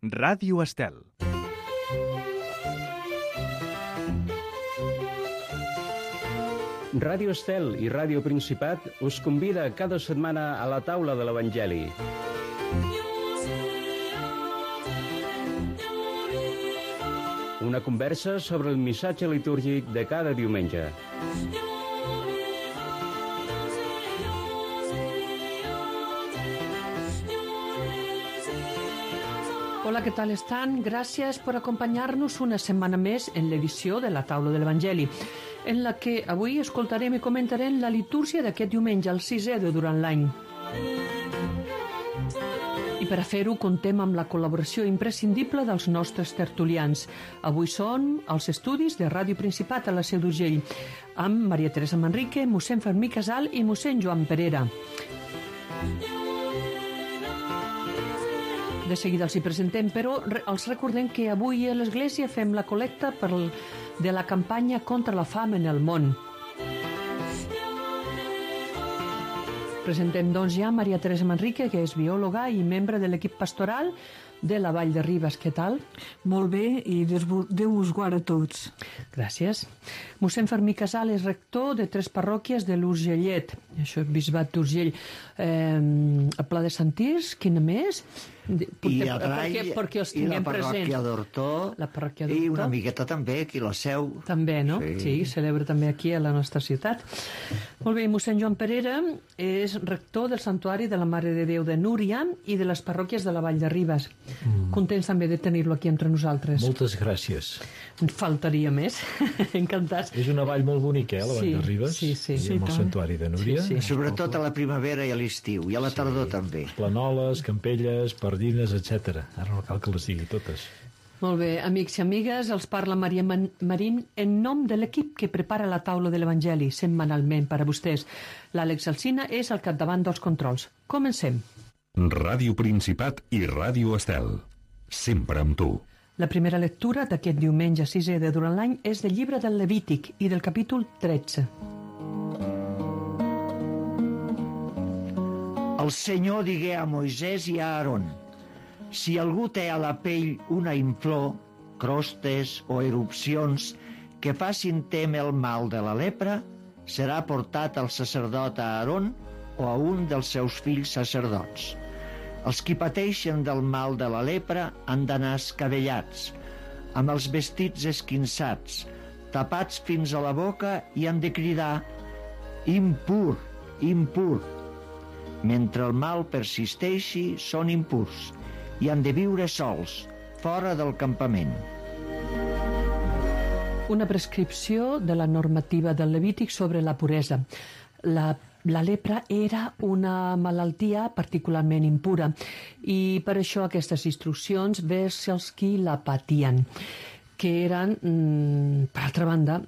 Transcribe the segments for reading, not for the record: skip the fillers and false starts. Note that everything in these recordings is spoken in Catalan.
Ràdio Estel. Ràdio Estel i Ràdio Principat us convida cada setmana a la taula de l'Evangeli. Una conversa sobre el missatge litúrgic de cada diumenge. Hola, ¿qué tal están? Gracias por acompanyar-nos una setmana més en l'edició de la Taula de l'Evangeli, en la que avui escoltarem i comentarem la litúrgia d'aquest diumenge, el sisè de durant l'any. I per a fer-ho contem amb la col·laboració imprescindible dels nostres tertulians. Avui són els estudis de Ràdio Principat a la Seu d'Urgell, amb Maria Teresa Manrique, mossèn Fermí Casal i mossèn Joan Perera. De seguida els hi presentem, però els recordem que avui a l'Església fem la col·lecta de la campanya contra la fam en el món. Presentem doncs ja Maria Teresa Manrique, que és biòloga i membre de l'equip pastoral de la Vall de Ribes. Què tal? Molt bé, i Déu us guarda a tots. Gràcies. Mossèn Fermí Casal és rector de 3 parròquies de l'Urgellet, això és Bisbat d'Urgell. El Pla de Santís, quina més? I Adrai, perquè els i la tinguem parròquia presents. d'Hortó, i una miqueta també aquí a la Seu. També, no? Sí, celebra també aquí a la nostra ciutat. Molt bé, mossèn Joan Perera és rector del Santuari de la Mare de Déu de Núria i de les parròquies de la Vall de Ribes. Contents també de tenir-lo aquí entre nosaltres. Moltes gràcies. Faltaria més. Encantats. És una vall molt bonica, la Vall de Ribes. Sí, sí. I amb el Santuari de Núria. Sí. Sobretot a la primavera i a l'estiu, i a la tardor també. Planoles, campelles, pardines, etc. Ara no cal que les digui totes. Molt bé, amics i amigues, els parla Maria Marín en nom de l'equip que prepara la taula de l'Evangeli setmanalment per a vostès. L'Àlex Alsina és al capdavant dels controls. Comencem. Ràdio Principat i Ràdio Estel. Sempre amb tu. La primera lectura d'aquest diumenge 6è de durant l'any és del llibre del Levític i del capítol 13. El Senyor digué a Moisès i a Aaron: si algú té a la pell una inflor, crostes o erupcions que facin témer el mal de la lepra, serà portat al sacerdot Aaron o a un dels seus fills sacerdots. Els qui pateixen del mal de la lepra han d'anar escabellats, amb els vestits esquinçats, tapats fins a la boca, i han de cridar: impur, impur. Mentre el mal persisteixi, són impurs i han de viure sols, fora del campament. Una prescripció de la normativa del Levític sobre la puresa. La lepra era una malaltia particularment impura i per això aquestes instruccions vers els qui la patien, que eren, per altra banda,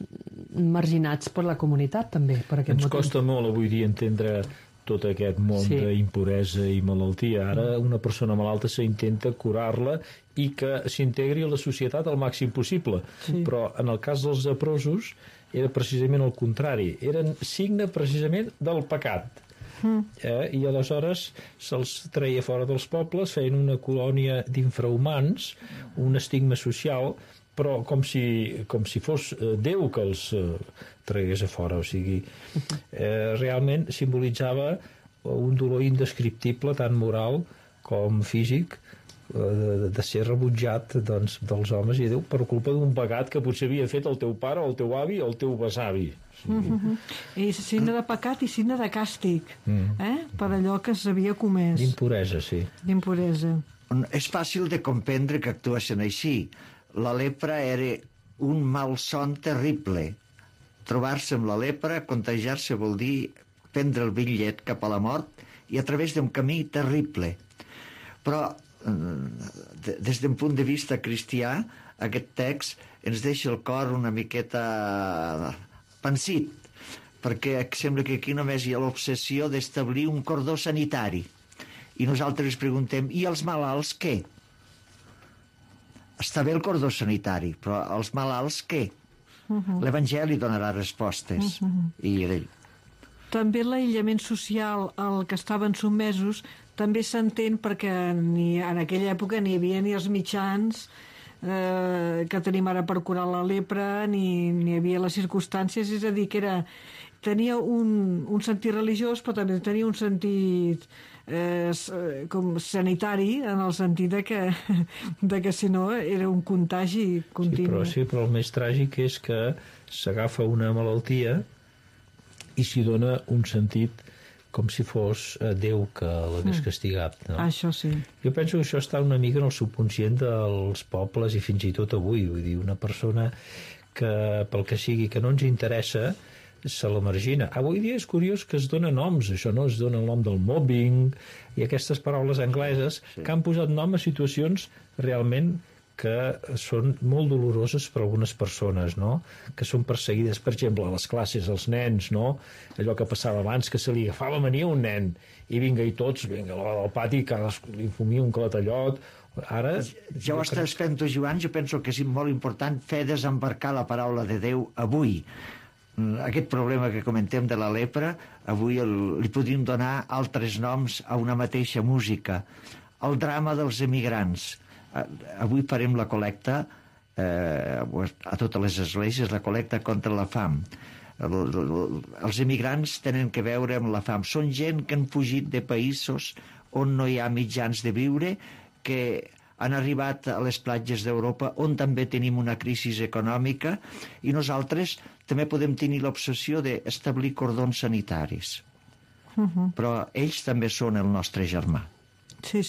marginats per la comunitat també. Per aquest Ens motiu. costa molt avui dia entendre tot aquest món d'impuresa i malaltia. Ara una persona malalta s'intenta curar-la i que s'integri a la societat al màxim possible. Però en el cas dels leprosos era precisament el contrari. Eren signe precisament del pecat. I aleshores se'ls treia fora dels pobles, feien una colònia d'infrahumans, un estigma social, però com si fos Déu que els tragués a fora. O sigui, realment simbolitzava un dolor indescriptible, tant moral com físic, de ser rebutjat dels homes i Déu per culpa d'un pecat que potser havia fet el teu pare o el teu avi o el teu besavi. I signe de pecat i signe de càstig, per allò que s'havia comès. D'impuresa, sí. D'impuresa. És fàcil de comprendre que actuessin així. La lepra era un malson terrible. Trobar-se amb la lepra, contagiar-se, vol dir prendre el bitllet cap a la mort i a través d'un camí terrible. Però des d'un punt de vista cristià, aquest text ens deixa el cor una miqueta pensit, perquè sembla que aquí només hi ha l'obsessió d'establir un cordó sanitari. I nosaltres preguntem, i els malalts què? Està bé el cordó sanitari, però els malalts què? L'Evangeli donarà respostes. I També l'aïllament social al que estaven sotmesos també s'entén perquè en aquella època ni hi havia ni els mitjans que tenim ara per curar la lepra, ni hi havia les circumstàncies, és a dir, que tenia un sentit religiós, però també tenia un sentit com sanitari, en el sentit de que si no era un contagi continu. Sí, però el més tràgic és que s'agafa una malaltia i s'hi dona un sentit com si fos Déu que l'hagués castigat. No? Això sí. Jo penso que això està una mica en el subconscient dels pobles i fins i tot avui. Vull dir, una persona que, pel que sigui, que no ens interessa, se la margina. Avui dia és curiós que es dona noms, això no? Es dona el nom del mobbing i aquestes paraules angleses que han posat nom a situacions realment que són molt doloroses per a algunes persones, no? Que són perseguides, per exemple, a les classes, els nens, no? Allò que passava abans, que se li agafava mania a un nen, i vinga, i tots, vinga, al pati, cadascú li fumia un clatallot. Ara... Ja ho estàs fent tu, Joan, jo penso que és molt important fer desembarcar la paraula de Déu avui. Aquest problema que comentem de la lepra, avui li podríem donar altres noms a una mateixa música. El drama dels emigrants. Avui farem la col·lecta a totes les esglésies, la col·lecta contra la fam. Els emigrants tenen que veure amb la fam. Són gent que han fugit de països on no hi ha mitjans de viure, que han arribat a les platges d'Europa on també tenim una crisi econòmica, i nosaltres també podem tenir l'obsessió d'establir cordons sanitaris. Però ells també són el nostre germà. Sí.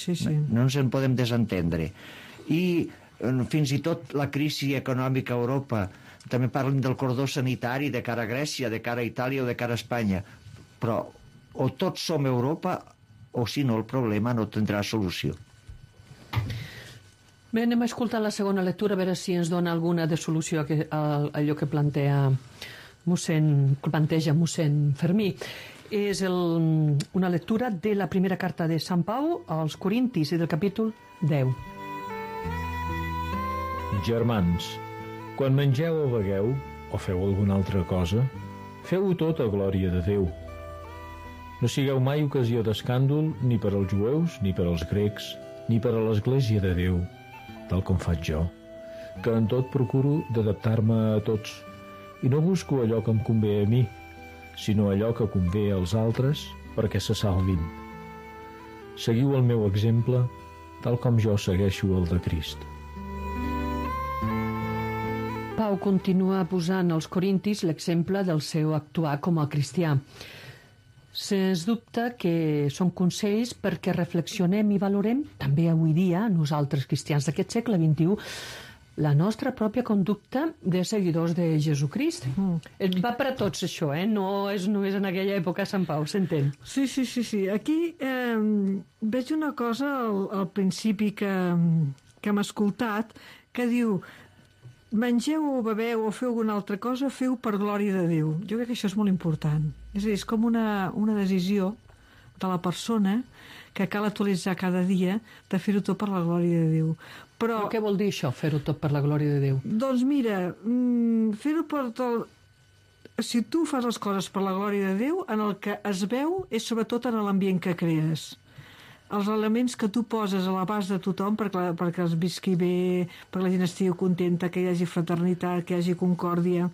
No ens en podem desentendre. I fins i tot la crisi econòmica a Europa, també parlen del cordó sanitari de cara a Grècia, de cara a Itàlia o de cara a Espanya. Però o tots som Europa o si no el problema no tindrà solució. Bé, anem a escoltar la segona lectura a veure si ens dona alguna de solució a allò que planteja mossèn Fermí. És una lectura de la primera carta de Sant Pau als Corintis i del capítol 10. Germans, quan mengeu o begueu, o feu alguna altra cosa, feu-ho tot a glòria de Déu. No sigueu mai ocasió d'escàndol ni per als jueus, ni per als grecs, ni per a l'Església de Déu, tal com faig jo, que en tot procuro d'adaptar-me a tots, i no busco allò que em convé a mi, sinó allò que convé als altres perquè se salvin. Seguiu el meu exemple, tal com jo segueixo el de Crist. Pau continua posant als corintis l'exemple del seu actuar com a cristià. Sens dubte que són consells perquè reflexionem i valorem, també avui dia, nosaltres cristians d'aquest segle XXI, la nostra pròpia conducta de seguidors de Jesucrist. Va per a tots això, no és només en aquella època Sant Pau, s'entén? Sí. Aquí veig una cosa al principi que hem escoltat, que diu: mengeu o beveu o feu alguna altra cosa, feu per glòria de Déu. Jo crec que això és molt important. És a dir, és com una decisió de la persona que cal actualitzar cada dia de fer-ho tot per la glòria de Déu. Però què vol dir això, fer-ho tot per la glòria de Déu? Doncs mira, fer-ho per tot... Si tu fas les coses per la glòria de Déu, en el que es veu és sobretot en l'ambient que crees. Els elements que tu poses a l'abast de tothom perquè es visqui bé, perquè la gent estigui contenta, que hi hagi fraternitat, que hi hagi concòrdia.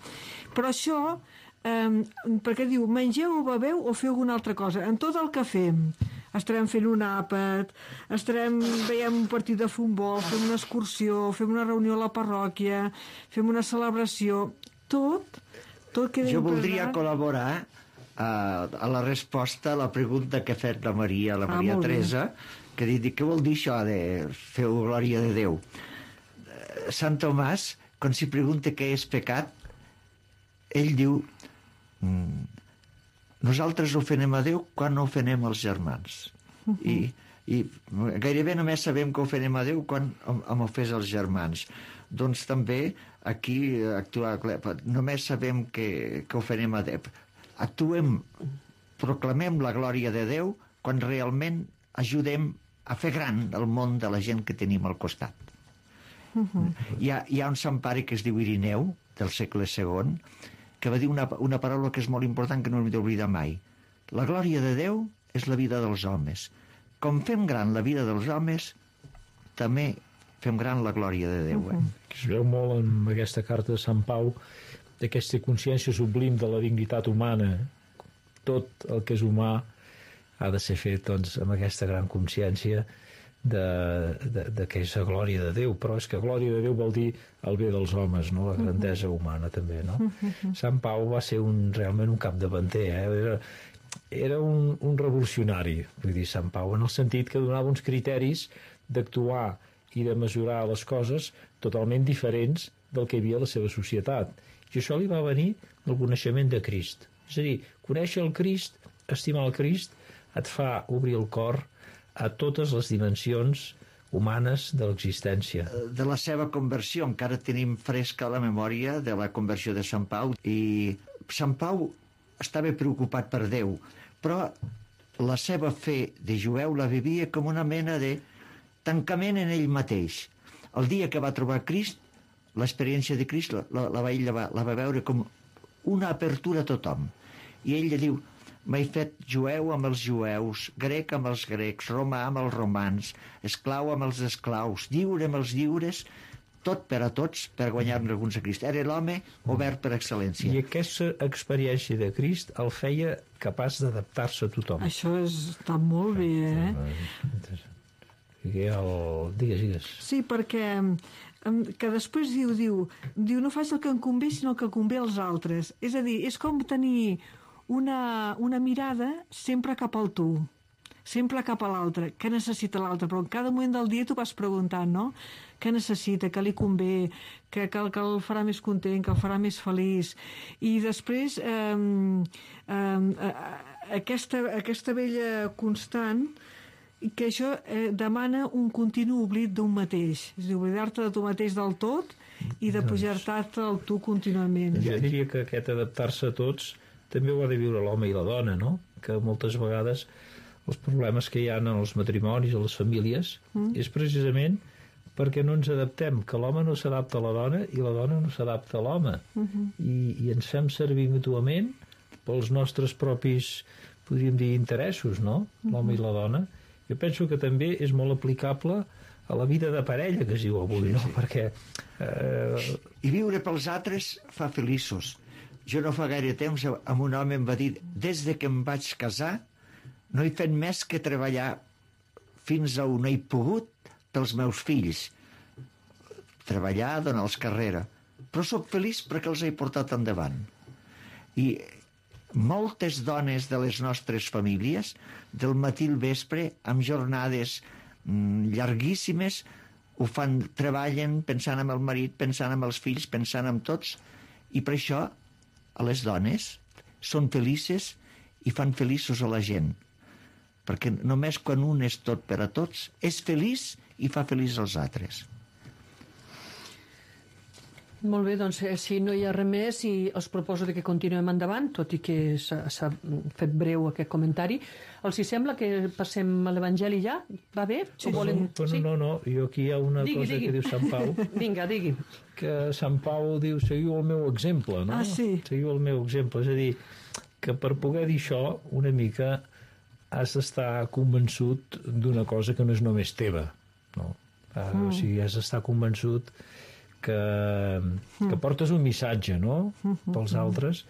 Però això, perquè diu, mengeu o beveu o feu alguna altra cosa. En tot el que fem, estarem fent un àpat, veiem un partit de futbol, fem una excursió, fem una reunió a la parròquia, fem una celebració, tot queda Jo voldria col·laborar a la resposta a la pregunta que ha fet la Maria Teresa, que ha dit, què vol dir això de feu glòria de Déu? Sant Tomàs, quan s'hi pregunta què és pecat, ell diu, nosaltres ofenem a Déu quan no ofenem els germans. I gairebé només sabem que ofenem a Déu quan hem ofès els germans. Doncs també aquí només sabem que ofenem a Déu. Proclamem la glòria de Déu quan realment ajudem a fer gran el món de la gent que tenim al costat. Hi ha un sant pare que es diu Irineu, del segle II, que va dir una paraula que és molt important, que no hem d'oblidar mai. La glòria de Déu és la vida dels homes. com fem gran la vida dels homes, també fem gran la glòria de Déu. Es veu molt en aquesta carta de Sant Pau d'aquesta consciència sublim de la dignitat humana. Tot el que és humà ha de ser fet doncs, amb aquesta gran consciència de que és la glòria de Déu, però és que glòria de Déu vol dir el bé dels homes, no? La grandesa humana també, no? Sant Pau va ser realment un capdavanter, era un revolucionari, vull dir, Sant Pau, en el sentit que donava uns criteris d'actuar i de mesurar les coses totalment diferents del que hi havia a la seva societat. I això li va venir del coneixement de Crist. És a dir, conèixer el Crist, estimar el Crist, et fa obrir el cor a totes les dimensions humanes de l'existència. De la seva conversió, encara tenim fresca la memòria de la conversió de Sant Pau, i Sant Pau estava preocupat per Déu, però la seva fe de jueu la vivia com una mena de tancament en ell mateix. El dia que va trobar Crist, l'experiència de Crist la va veure com una apertura a tothom. I ell diu: m'he fet jueu amb els jueus, grec amb els grecs, romà amb els romans, esclau amb els esclaus, lliure amb els lliures, tot per a tots, per guanyar-ne alguns a Crist. Era l'home obert per excel·lència. I aquesta experiència de Crist el feia capaç d'adaptar-se a tothom. Això està molt bé, eh? Digues. Sí, perquè que després diu no faig el que em convé, sinó el que convé als altres. És a dir, és com tenir una mirada sempre cap al tu, sempre cap a l'altre. Què necessita l'altre? Però en cada moment del dia tu vas preguntant, no? Què necessita, què li convé, que el farà més content, que el farà més feliç. I després aquesta vella constant, que això demana un continu oblit d'un mateix. És a dir, oblidar-te de tu mateix del tot i de pujar-te al tu contínuament. Jo diria que aquest adaptar-se a tots també ho ha de viure l'home i la dona, no? Que moltes vegades els problemes que hi ha en els matrimonis, a les famílies, és precisament perquè no ens adaptem, que l'home no s'adapta a la dona i la dona no s'adapta a l'home. I ens fem servir mútuament pels nostres propis, podríem dir, interessos, no? L'home i la dona. Jo penso que també és molt aplicable a la vida de parella, que es diu avui, no? Perquè... I viure pels altres fa feliços. Jo no fa gaire temps amb un home em va dir: des de que em vaig casar no he fet més que treballar fins a on he pogut pels meus fills. Treballar, donar-los carrera. Però sóc feliç perquè els he portat endavant. I moltes dones de les nostres famílies, del matí al vespre, amb jornades llarguíssimes, ho fan, treballen pensant en el marit, pensant en els fills, pensant en tots, i per això a les dones són felices i fan feliços a la gent, perquè només quan un és tot per a tots és feliç i fa feliç als altres. Molt bé, doncs si no hi ha res més, i us proposo que continuem endavant, tot i que s'ha fet breu aquest comentari. Els hi sembla que passem a l'Evangeli ja? Va bé? Sí, no, jo aquí hi ha una cosa que diu Sant Pau. Vinga, digui. Que Sant Pau diu: seguiu el meu exemple, no? Ah, sí. Seguiu el meu exemple, és a dir, que per poder dir això, una mica has d'estar convençut d'una cosa que no és només teva, no? O sigui, has d'estar convençut que portes un missatge, no?, pels altres,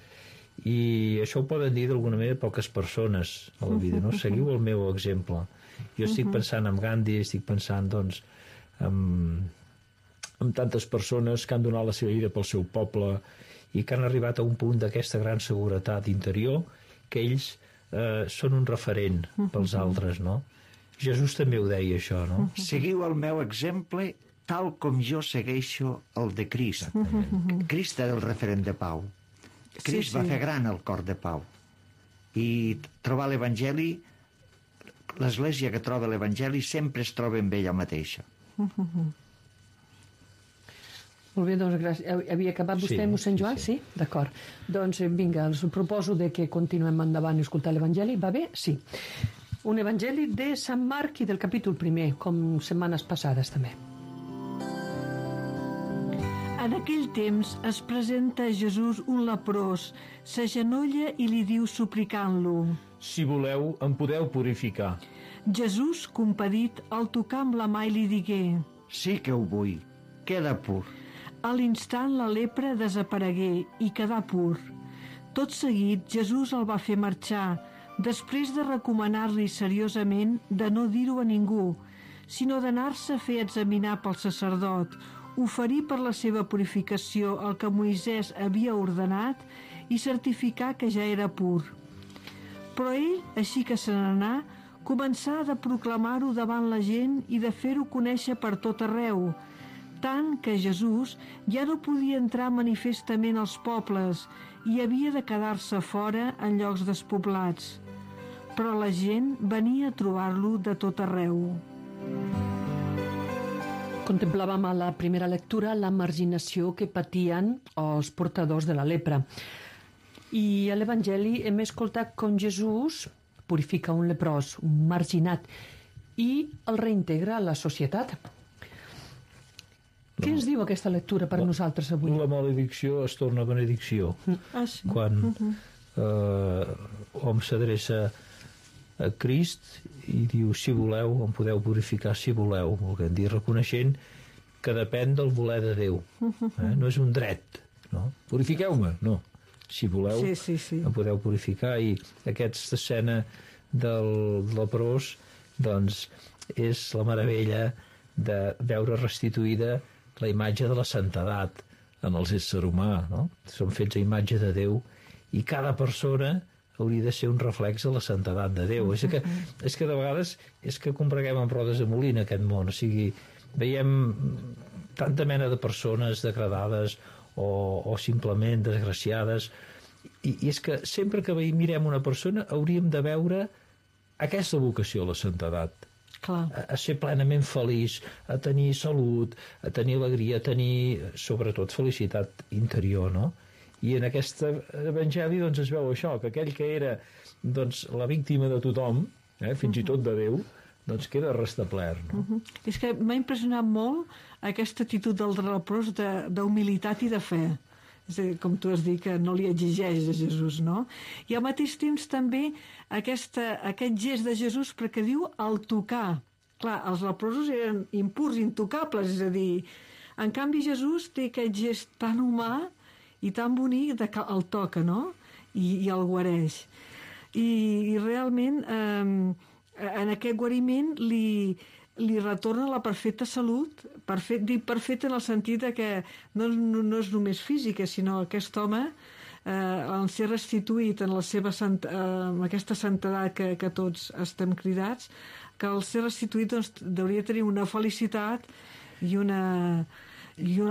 i això ho poden dir d'alguna manera poques persones a la vida, no? Seguiu el meu exemple. Jo estic pensant en Gandhi, estic pensant, doncs, en tantes persones que han donat la seva vida pel seu poble i que han arribat a un punt d'aquesta gran seguretat interior, que ells són un referent pels altres, no? Jesús també ho deia, això, no? Seguiu el meu exemple tal com jo segueixo el de Crist. Crist era el referent de Pau. Crist va fer gran el cor de Pau. I trobar l'Evangeli, l'Església que troba l'Evangeli sempre es troba amb ella mateixa. Molt bé, doncs gràcies. Havia acabat vostè, mossèn Joan? Sí? D'acord. Doncs vinga, els proposo que continuem endavant i escoltar l'Evangeli. Va bé? Sí. Un Evangeli de Sant Marc i del capítol 1, com setmanes passades també. En aquell temps es presenta a Jesús un leprós, s'agenolla i li diu suplicant-lo: si voleu, em podeu purificar. Jesús, compadit, el tocà amb la mà i li digué: Sí que ho vull, queda pur. A l'instant la lepra desaparegué i quedà pur. Tot seguit Jesús el va fer marxar, després de recomanar-li seriosament de no dir-ho a ningú, sinó d'anar-se a fer examinar pel sacerdot, oferir per la seva purificació el que Moisès havia ordenat i certificar que ja era pur. Però ell, així que se n'anà, començà de proclamar-ho davant la gent i de fer-ho conèixer per tot arreu, tant que Jesús ja no podia entrar manifestament als pobles i havia de quedar-se fora en llocs despoblats. Però la gent venia a trobar-lo de tot arreu. Contemplàvem a la primera lectura la marginació que patien els portadors de la lepra. I a l'Evangeli hem escoltat com Jesús purifica un leprós, un marginat, i el reintegra a la societat. Què ens diu aquesta lectura per nosaltres avui? La maledicció es torna benedicció. Sí. Quan hom s'adreça a Crist i diu, si voleu, em podeu purificar si voleu, volent dir, reconeixent que depèn del voler de Déu. No és un dret, no? Purifiqueu-me, no. Si voleu, em podeu purificar. I aquesta escena del leprós, doncs, és la meravella de veure restituïda la imatge de la santedat en els éssers humà, no? Som fets a imatge de Déu i cada persona hauria de ser un reflex de la santedat de Déu. És que de vegades és que combreguem amb rodes de molí en aquest món. O sigui, veiem tanta mena de persones degradades o simplement desgraciades, i és que sempre que mirem una persona hauríem de veure aquesta vocació a la santedat. Clar. A ser plenament feliç, a tenir salut, a tenir alegria, a tenir sobretot felicitat interior, no? I en aquest evangeli doncs, es veu això, que aquell que era doncs, la víctima de tothom, fins i tot de Déu, doncs queda restablert. No? És que m'ha impressionat molt aquesta actitud del leprós d'humilitat i de fe. És a dir, com tu has dit, que no li exigeix a Jesús, no? I al mateix temps també aquest gest de Jesús, perquè diu el tocar. Clar, els leprosos eren impurs, intocables, és a dir, en canvi Jesús té aquest gest tan humà i tan bonic que el toca, no? I el guareix. I realment en aquest guariment li retorna la perfecta salut, dic perfecta en el sentit que no és només física, sinó aquest home, en ser restituït en aquesta santedat que tots estem cridats, que al ser restituït doncs, hauria de tenir una felicitat i una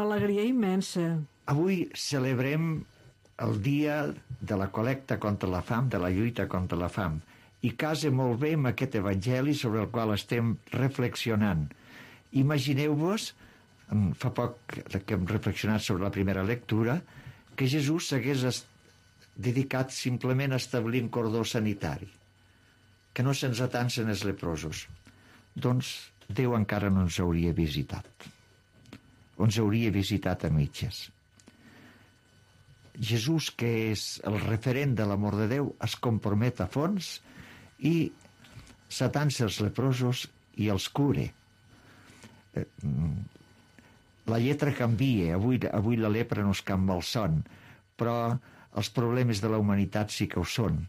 alegria immensa. Avui celebrem el dia de la col·lecta contra la fam, de la lluita contra la fam, i casa molt bé amb aquest evangeli sobre el qual estem reflexionant. Imagineu-vos, fa poc que hem reflexionat sobre la primera lectura, que Jesús s'hagués dedicat simplement a establir un cordó sanitari, que no se'ns atansen els leprosos. Doncs Déu encara no ens hauria visitat. Ens hauria visitat a mitges. Jesús, que és el referent de l'amor de Déu, es compromet a fons i s'atansa els leprosos i els cura. La lletra canvia, avui la lepra no és cap malson, però els problemes de la humanitat sí que ho són.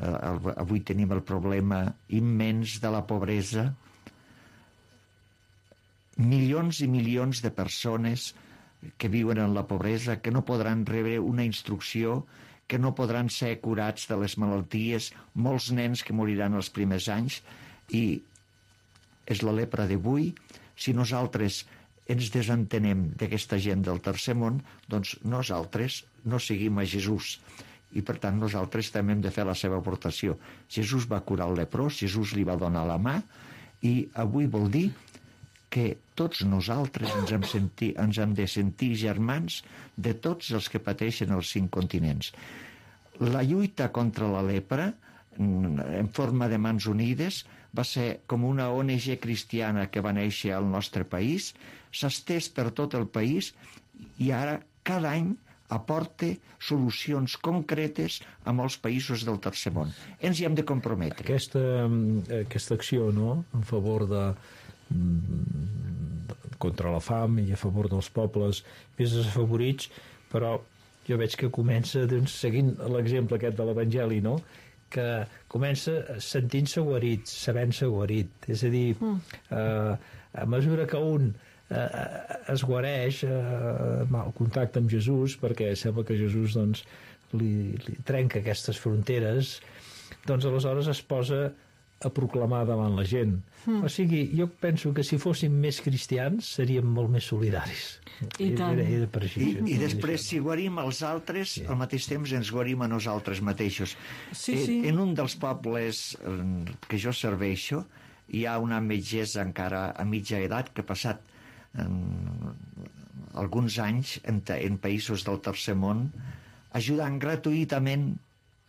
Avui tenim el problema immens de la pobresa. Milions i milions de persones que viuen en la pobresa, que no podran rebre una instrucció, que no podran ser curats de les malalties, molts nens que moriran els primers anys, i és la lepra d'avui. Si nosaltres ens desentenem d'aquesta gent del tercer món, doncs nosaltres no seguim a Jesús, i per tant nosaltres també hem de fer la seva aportació. Jesús va curar el leprós, Jesús li va donar la mà, i avui vol dir que tots nosaltres ens hem de sentir germans de tots els que pateixen els 5 continents. La lluita contra la lepra, en forma de Mans Unides, va ser com una ONG cristiana que va néixer al nostre país, s'ha estès per tot el país i ara cada any aporta solucions concretes a molts països del tercer món. Ens hi hem de comprometre. Aquesta acció, no?, en favor contra la fam i a favor dels pobles més desafavorits, però jo veig que comença, doncs, seguint l'exemple aquest de l'Evangeli, no?, que comença sentint-se guarit, sabent-se guarit. És a dir, a mesura que un es guareix el contacte amb Jesús, perquè sembla que Jesús doncs, li trenca aquestes fronteres, doncs aleshores es posa a proclamar davant la gent. O sigui, jo penso que si fóssim més cristians seríem molt més solidaris. I tant. I després, si guarim els altres, al mateix temps ens guarim a nosaltres mateixos. Sí. En un dels pobles que jo serveixo, hi ha una metgessa encara a mitja edat que ha passat alguns anys en països del tercer món ajudant gratuïtament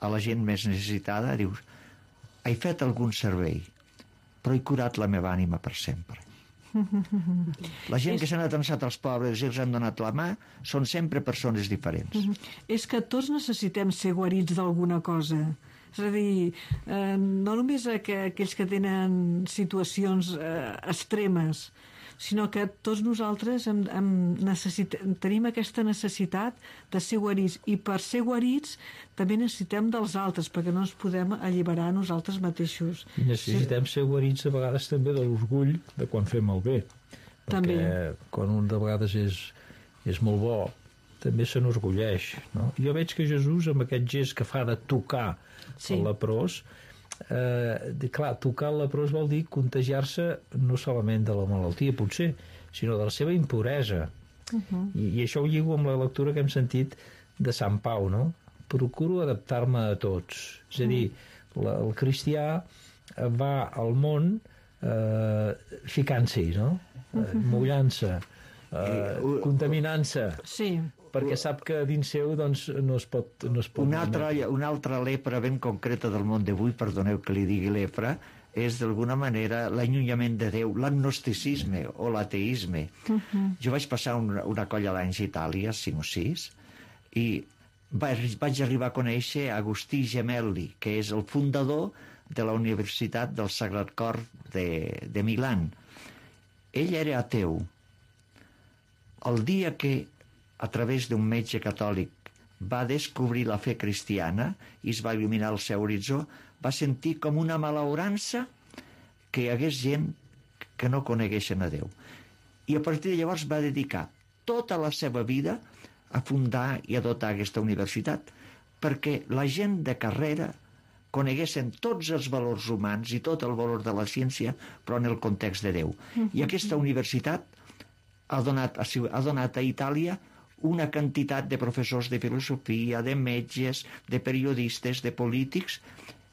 a la gent més necessitada. Dius, he fet algun servei, però he curat la meva ànima per sempre. La gent que s'han atensat als pobres i els han donat la mà són sempre persones diferents. És que tots necessitem ser guarits d'alguna cosa. És a dir, no només aquells que tenen situacions extremes, sinó que tots nosaltres tenim aquesta necessitat de ser guarits, i per ser guarits també necessitem dels altres, perquè no ens podem alliberar nosaltres mateixos. I necessitem ser guarits a vegades també de l'orgull de quan fem el bé, també. Perquè quan un de vegades és molt bo també se n'orgulleix, no? Jo veig que Jesús, amb aquest gest que fa de tocar el leprós, clar, tocar el leprós vol dir contagiar-se no solament de la malaltia, potser, sinó de la seva impuresa. I això ho lligo amb la lectura que hem sentit de Sant Pau, no? Procuro adaptar-me a tots. És a dir, el cristià va al món ficant-s'hi, no? Mullant-se, contaminant-se. Sí. Perquè sap que dins seu doncs, no es pot... Una altra lepra ben concreta del món d'avui, perdoneu que li digui lepra, és d'alguna manera l'allunyament de Déu, l'agnosticisme o l'ateisme. Jo vaig passar una colla d'anys a Itàlia, 5 o 6, i vaig arribar a conèixer Agustí Gemelli, que és el fundador de la Universitat del Sagrat Cor de Milà. Ell era ateu. El dia que a través d'un metge catòlic va descobrir la fe cristiana i es va il·luminar el seu horitzó, va sentir com una malaurança que hi hagués gent que no coneguessin a Déu. I a partir de llavors va dedicar tota la seva vida a fundar i a dotar aquesta universitat, perquè la gent de carrera coneguessin tots els valors humans i tot el valor de la ciència, però en el context de Déu. I aquesta universitat ha donat a Itàlia una quantitat de professors de filosofia, de metges, de periodistes, de polítics,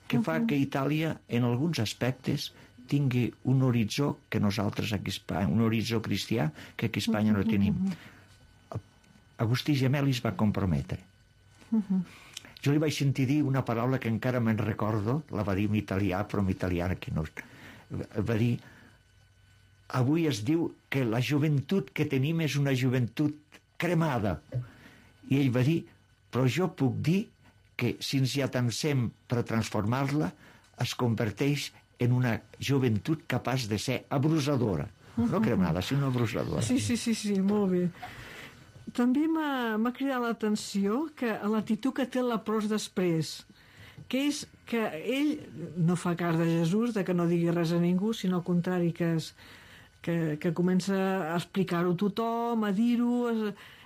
que fa que Itàlia, en alguns aspectes, tingui un horitzó que nosaltres aquí a Espanya, un horitzó cristià que aquí a Espanya no tenim. Agustí Gemelli es va comprometre. Jo li vaig sentir dir una paraula que encara me'n recordo, la va dir en italià, però en italià aquí no. Va dir, avui es diu que la joventut que tenim és una joventut cremada. I ell va dir, però jo puc dir que si ens hi atansem per transformar-la, es converteix en una joventut capaç de ser abrusadora. No cremada, sinó abrusadora. Sí, molt bé. També m'ha cridat l'atenció que l'actitud que té el leprós després, que és que ell no fa cas de Jesús, de que no digui res a ningú, sinó al contrari, que comença a explicar-ho a tothom, a dir-ho...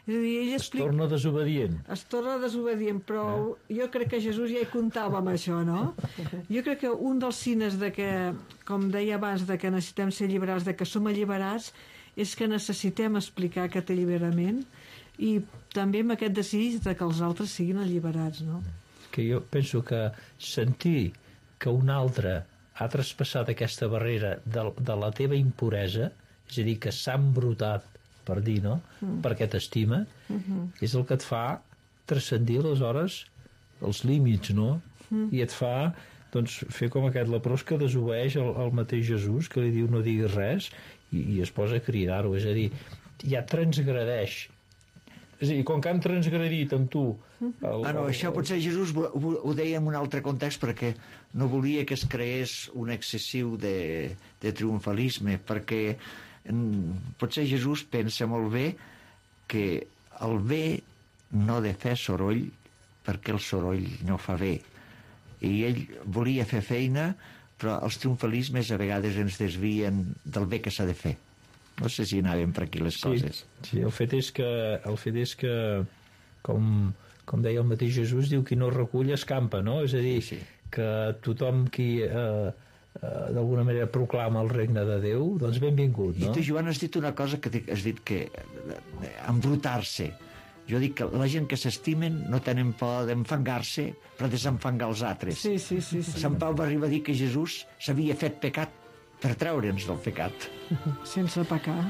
És a dir, ell es torna desobedient. Es torna desobedient, però jo crec que Jesús ja hi comptava amb això, no? Jo crec que un dels signes de que, com deia abans, de que necessitem ser alliberats, de que som alliberats, és que necessitem explicar aquest alliberament i també amb aquest desig de que els altres siguin alliberats, no? Que jo penso que sentir que un altre ha traspassat aquesta barrera de la teva impuresa, és a dir, que s'ha embrutat per dir, no? Perquè t'estima, és el que et fa transcendir aleshores els límits, no? I et fa doncs, fer com aquest leprós que desobeeix el mateix Jesús, que li diu no diguis res, i es posa a cridar-ho. És a dir, ja transgredeix És a dir, com que han transgredit amb tu... Això potser Jesús ho deia en un altre context perquè no volia que es creés un excessiu de triomfalisme, perquè potser Jesús pensa molt bé que el bé no ha de fer soroll perquè el soroll no fa bé. I ell volia fer feina, però els triomfalismes a vegades ens desvien del bé que s'ha de fer. No sé si anaven per aquí les coses. Sí, el fet és que com deia el mateix Jesús, diu qui no recull escampa, no? És a dir, que tothom qui d'alguna manera proclama el regne de Déu, doncs benvingut, no? I tu, Joan, has dit una cosa que has dit que embrutar-se. Jo dic que la gent que s'estimen no tenen por d'enfangar-se per desenfangar els altres. Sí. Sant Pau va arribar a dir que Jesús s'havia fet pecat per treure'ns del pecat. Sense pecar.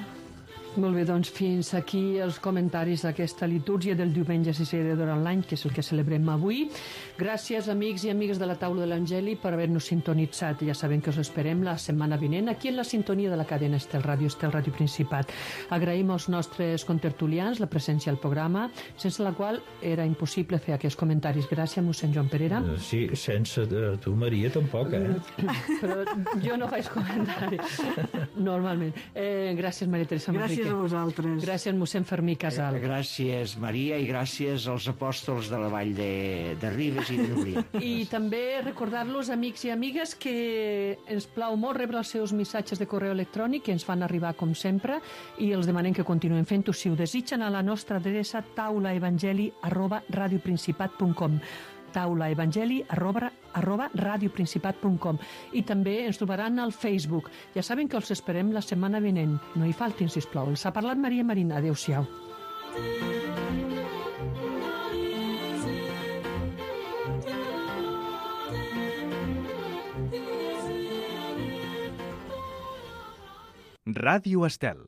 Molt bé, doncs fins aquí els comentaris d'aquesta litúrgia del diumenge sisè durant l'any, que és el que celebrem avui. Gràcies, amics i amigues de la Taula de l'Evangeli, per haver-nos sintonitzat. Ja sabem que us esperem la setmana vinent aquí en la sintonia de la cadena Estel Ràdio Principat. Agraïm als nostres contertulians la presència al programa, sense la qual era impossible fer aquests comentaris. Gràcies, mossèn Joan Perera. Sí, sense tu, Maria, tampoc, Però jo no faig comentaris, normalment. Gràcies, Maria Teresa Manrique. Gràcies a vosaltres. Gràcies, mossèn Fermí Casal. Gràcies, Maria, i gràcies als apòstols de la Vall de Ribes i de Llúria. I també recordar-los, amics i amigues, que ens plau molt rebre els seus missatges de correu electrònic que ens fan arribar com sempre i els demanem que continuem fent-ho si ho desitgen a la nostra adreça taulaevangeli@radioprincipat.com taulaevangeli@radioprincipat.com i també ens trobaran al Facebook. Ja saben que els esperem la setmana vinent. No hi faltin, sisplau. Els ha parlat Maria Marina. Adéu-siau. Ràdio Estel.